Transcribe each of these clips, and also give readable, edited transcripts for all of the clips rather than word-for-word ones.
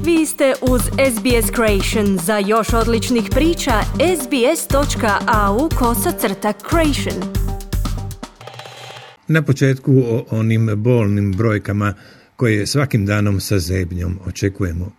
Vi ste uz SBS Creation. Za još odličnih priča, sbs.au/creation. Na početku o onim bolnim brojkama koje svakim danom sa zebnjom očekujemo.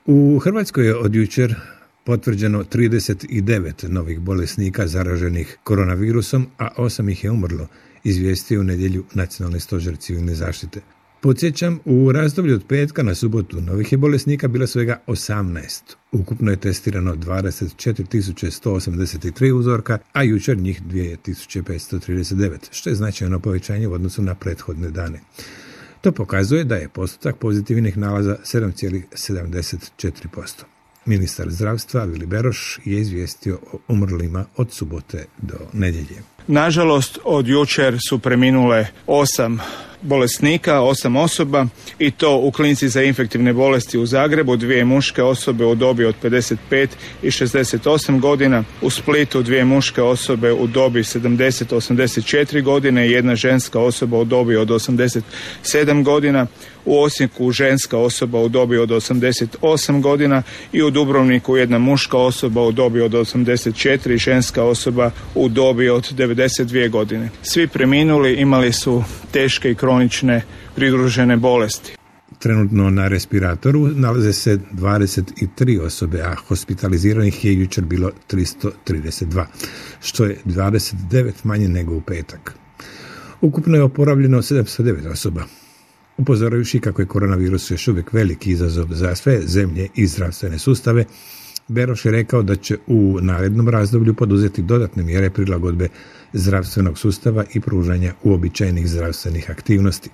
U Hrvatskoj je od jučer potvrđeno 39 novih bolesnika zaraženih koronavirusom, a 8 ih je umrlo, izvijestio u nedjelju Nacionalni stožer civilne zaštite. Podsjećam, u razdoblju od petka na subotu novih je bolesnika bilo svega 18. Ukupno je testirano 24.183 uzorka, a jučer njih 2.539, što je značajno povećanje u odnosu na prethodne dane. To pokazuje da je postotak pozitivnih nalaza 7,74%. Ministar zdravstva Vili Beroš je izvijestio o umrlima od subote do nedjelje. Nažalost, od jučer su preminule 8 bolesnika, 8 osoba, i to u klinici za infektivne bolesti u Zagrebu, 2 muške osobe u dobi od 55 i 68 godina, u Splitu 2 muške osobe u dobi 70-84 godine i 1 ženska osoba u dobi od 87 godina, u Osijeku ženska osoba u dobi od 88 godina i u Dubrovniku 1 muška osoba u dobi od 84 i ženska osoba u dobi od 92 godine. Svi preminuli imali su teške i kronične pridružene bolesti. Trenutno na respiratoru nalaze se 23 osobe, a hospitaliziranih je jučer bilo 332, što je 29 manje nego u petak. Ukupno je oporavljeno 709 osoba. Upozoravši kako je koronavirus još uvijek veliki izazov za sve zemlje i zdravstvene sustave, Beroš je rekao da će u narednom razdoblju poduzeti dodatne mjere prilagodbe zdravstvenog sustava i pružanja uobičajenih zdravstvenih aktivnosti.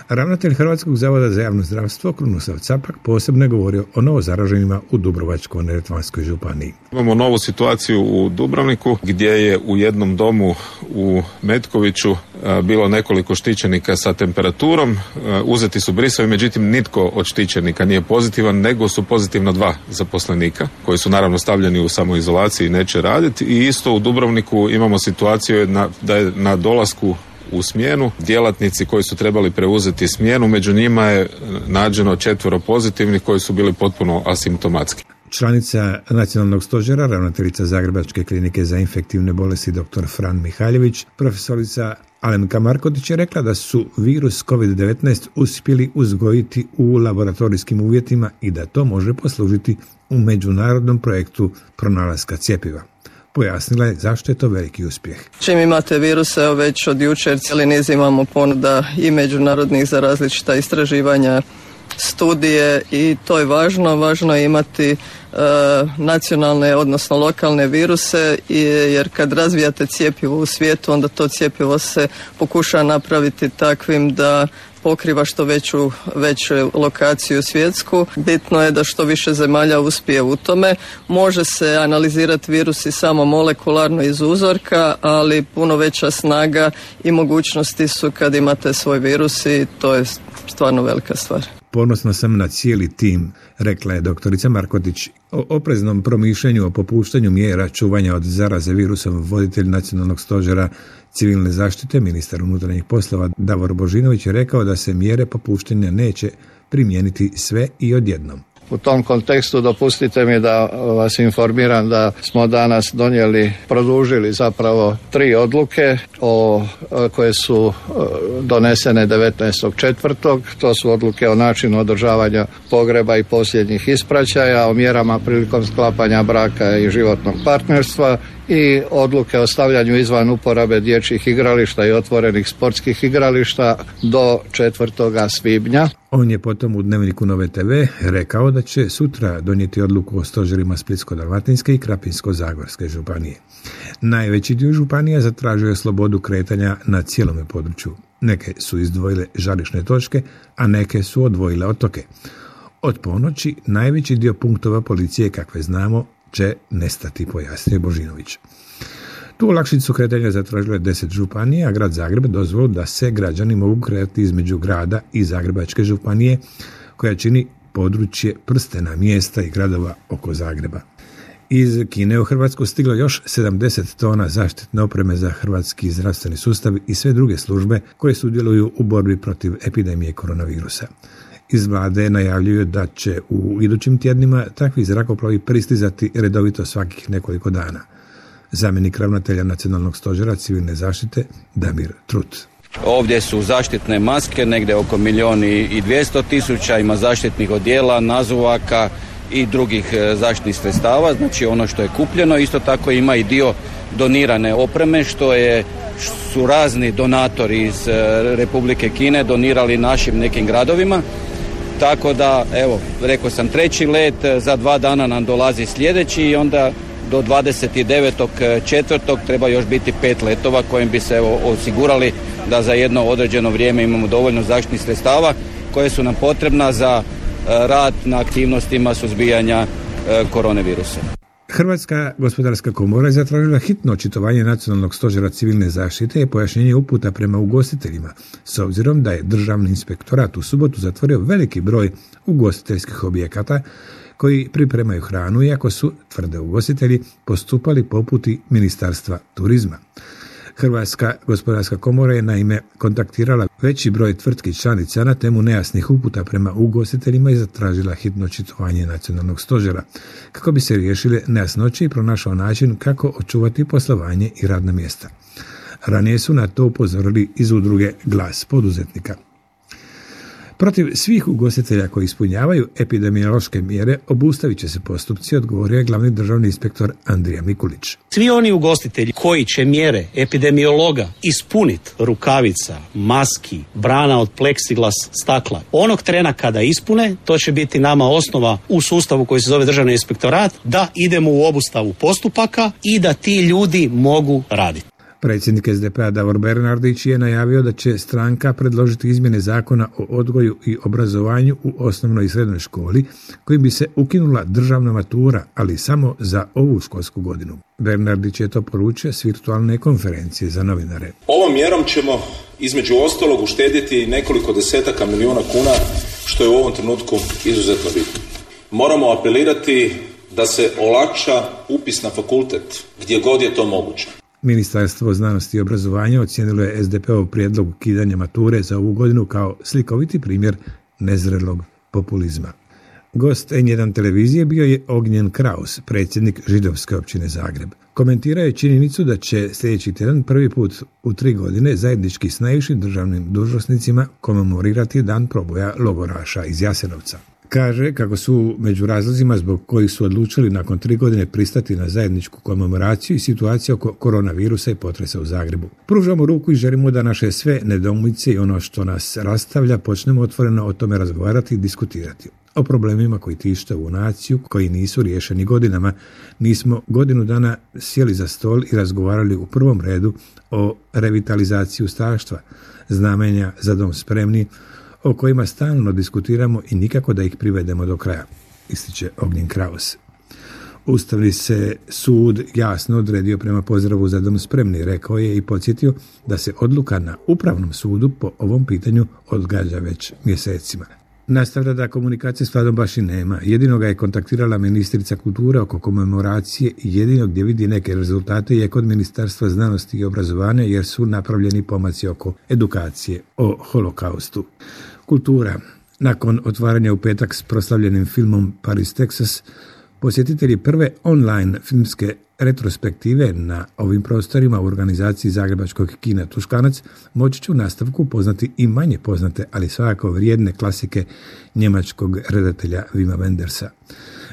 Ravnatelj Hrvatskog zavoda za javno zdravstvo Krunoslav Capak posebno je govorio o novozaraženima u Dubrovačko-neretvanskoj županiji. Imamo novu situaciju u Dubrovniku gdje je u jednom domu u Metkoviću bilo nekoliko štićenika sa temperaturom. Uzeti su brisovi, međutim nitko od štićenika nije pozitivan, nego su pozitivna 2 zaposlenika koji su naravno stavljeni u samoizolaciji i neće raditi. I isto u Dubrovniku imamo situaciju da je na dolasku u smjenu djelatnici koji su trebali preuzeti smjenu, među njima je nađeno 4 pozitivnih koji su bili potpuno asimptomatski. Članica Nacionalnog stožera, ravnateljica Zagrebačke klinike za infektivne bolesti dr. Fran Mihaljević, profesorica Alenka Markotić je rekla da su virus COVID-19 uspjeli uzgojiti u laboratorijskim uvjetima i da to može poslužiti u međunarodnom projektu pronalaska cjepiva. Pojasnila je zašto je to veliki uspjeh. Čim imate viruse, već od jučer cijeli niz imamo ponuda i međunarodnih za različita istraživanja, studije, i to je važno. Važno je imati nacionalne, odnosno lokalne viruse, jer kad razvijate cjepivo u svijetu, onda to cjepivo se pokuša napraviti takvim da pokriva što veću lokaciju svjetsku. Bitno je da što više zemalja uspije u tome. Može se analizirati virusi samo molekularno iz uzorka, ali puno veća snaga i mogućnosti su kad imate svoj virus, i to je stvarno velika stvar. Ponosna sam na cijeli tim, rekla je doktorica Markotić. O opreznom promišljanju o popuštanju mjera čuvanja od zaraze virusom voditelj Nacionalnog stožera civilne zaštite, ministar unutarnjih poslova Davor Božinović je rekao da se mjere popuštanja neće primijeniti sve i odjednom. U tom kontekstu dopustite mi da vas informiram da smo danas produžili zapravo 3 odluke koje su donesene 19.4. To su odluke o načinu održavanja pogreba i posljednjih ispraćaja, o mjerama prilikom sklapanja braka i životnog partnerstva i odluke o stavljanju izvan uporabe dječjih igrališta i otvorenih sportskih igrališta do 4. svibnja. On je potom u Dnevniku Nove TV rekao da će sutra donijeti odluku o stožerima Splitsko-dalmatinske i Krapinsko-zagorske županije. Najveći dio županija zatražio je slobodu kretanja na cijelome području. Neke su izdvojile žarišne točke, a neke su odvojile otoke. Od ponoći najveći dio punktova policije, kakve znamo, će nestati, pojasnio Božinović. Tu olakšicu kretanja zatražilo je 10 županija, a grad Zagreb dozvolu da se građani mogu kretati između grada i Zagrebačke županije, koja čini područje prstena mjesta i gradova oko Zagreba. Iz Kine u Hrvatsku stiglo još 70 tona zaštitne opreme za hrvatski zdravstveni sustav i sve druge službe koje sudjeluju u borbi protiv epidemije koronavirusa. Iz vlade najavljuju da će u idućim tjednima takvi zrakoplovi pristizati redovito svakih nekoliko dana. Zamjenik ravnatelja Nacionalnog stožera civilne zaštite Damir Trut. Ovdje su zaštitne maske, negdje oko 1.200.000, ima zaštitnih odjela, nazuvaka i drugih zaštitnih sredstava, znači ono što je kupljeno. Isto tako ima i dio donirane opreme su razni donatori iz Republike Kine donirali našim nekim gradovima. Tako da, evo, rekao sam 3. let, za 2 dana nam dolazi sljedeći i onda do 29.4. treba još biti 5 letova kojim bi se osigurali da za jedno određeno vrijeme imamo dovoljno zaštitnih sredstava koje su nam potrebna za rad na aktivnostima suzbijanja koronavirusa. Hrvatska gospodarska komora je zatražila hitno očitovanje Nacionalnog stožera civilne zaštite i pojašnjenje uputa prema ugostiteljima, s obzirom da je Državni inspektorat u subotu zatvorio veliki broj ugostiteljskih objekata koji pripremaju hranu, iako su, tvrde ugostitelji, postupali po uputi Ministarstva turizma. Hrvatska gospodarska komora je naime kontaktirala veći broj tvrtki članica na temu nejasnih uputa prema ugostiteljima i zatražila hitno očitovanje Nacionalnog stožera kako bi se riješile nejasnoće i pronašao način kako očuvati poslovanje i radna mjesta. Ranije su na to upozorili iz udruge Glas poduzetnika. Protiv svih ugostitelja koji ispunjavaju epidemiološke mjere obustavit će se postupci, odgovorio je glavni državni inspektor Andrija Mikulić. Svi oni ugostitelji koji će mjere epidemiologa ispuniti, rukavica, maski, brana od pleksiglas, stakla, onog trena kada ispune, to će biti nama osnova u sustavu koji se zove Državni inspektorat, da idemo u obustavu postupaka i da ti ljudi mogu raditi. Predsjednik SDP-a Davor Bernardić je najavio da će stranka predložiti izmjene zakona o odgoju i obrazovanju u osnovnoj i srednjoj školi, kojim bi se ukinula državna matura, ali samo za ovu školsku godinu. Bernardić je to poručio s virtualne konferencije za novinare. Ovom mjerom ćemo između ostalog uštedjeti nekoliko desetaka milijuna kuna, što je u ovom trenutku izuzetno bitno. Moramo apelirati da se olakša upis na fakultet gdje god je to moguće. Ministarstvo znanosti i obrazovanja ocijenilo je SDP-ov prijedlog ukidanja mature za ovu godinu kao slikoviti primjer nezrelog populizma. Gost N1 televizije bio je Ognjen Kraus, predsjednik Židovske općine Zagreb. Komentirao je činjenicu da će sljedeći tjedan prvi put u 3 godine zajednički s najvišim državnim dužnosnicima komemorirati dan proboja logoraša iz Jasenovca. Kaže kako su među razlozima zbog kojih su odlučili nakon 3 godine pristati na zajedničku komemoraciju i situaciju oko koronavirusa i potresa u Zagrebu. Pružamo ruku i želimo da naše sve nedoumice i ono što nas rastavlja počnemo otvoreno o tome razgovarati i diskutirati. O problemima koji tište ovu naciju, koji nisu riješeni godinama. Nismo godinu dana sjeli za stol i razgovarali u prvom redu o revitalizaciji ustaštva, znamenja za dom spremni, o kojima stalno diskutiramo i nikako da ih privedemo do kraja, ističe Ognjen Kraus. Ustavni se sud jasno odredio prema pozdravu za dom spremni, rekao je i podsjetio da se odluka na Upravnom sudu po ovom pitanju odgađa već mjesecima. Nastavlja da komunikacije s vladom baš i nema. Jedino ga je kontaktirala ministrica kulture oko komemoracije i jedino gdje vidi neke rezultate je kod Ministarstva znanosti i obrazovanja jer su napravljeni pomaci oko edukacije o holokaustu. Kultura. Nakon otvaranja u petak s proslavljenim filmom Paris, Texas, posjetitelji prve online filmske retrospektive na ovim prostorima u organizaciji Zagrebačkog kina Tuškanac moći će u nastavku poznati i manje poznate, ali svakako vrijedne klasike njemačkog redatelja Wima Wendersa.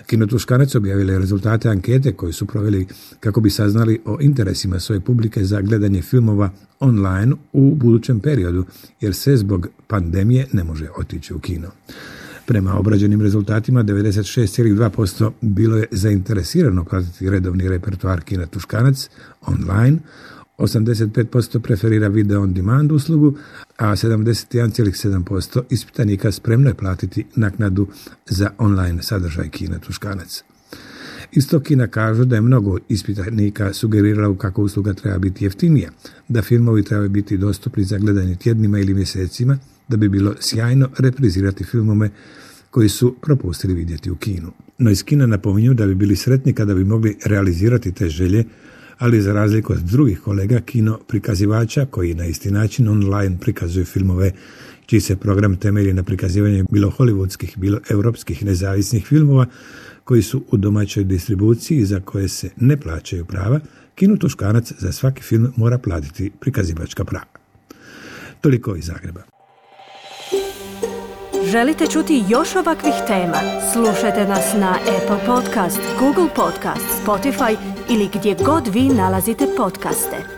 Kino Tuškanac objavila je rezultate ankete koje su proveli kako bi saznali o interesima svoje publike za gledanje filmova online u budućem periodu, jer se zbog pandemije ne može otići u kino. Prema obrađenim rezultatima 96,2% bilo je zainteresirano pratiti redovni repertoar Kina Tuškanac online, 85% preferira video on demand uslugu, a 71,7% ispitanika spremno je platiti naknadu za online sadržaj Kina Tuškanac. Isto Kina kažu da je mnogo ispitanika sugeriralo kako usluga treba biti jeftinija, da filmovi trebaju biti dostupni za gledanje tjednima ili mjesecima, da bi bilo sjajno reprizirati filmove koji su propustili vidjeti u kinu. No iz Kina napominju da bi bili sretni kada bi mogli realizirati te želje, ali za razliku od drugih kolega kino prikazivača koji na isti način online prikazuju filmove čiji se program temelji na prikazivanju bilo hollywoodskih, bilo europskih nezavisnih filmova koji su u domaćoj distribuciji za koje se ne plaćaju prava, Kinu Tuškanac za svaki film mora platiti prikazivačka prava. Toliko iz Zagreba. Želite čuti još ovakvih tema? Slušajte nas na Apple Podcast, Google Podcast, Spotify ili gdje god vi nalazite podcaste.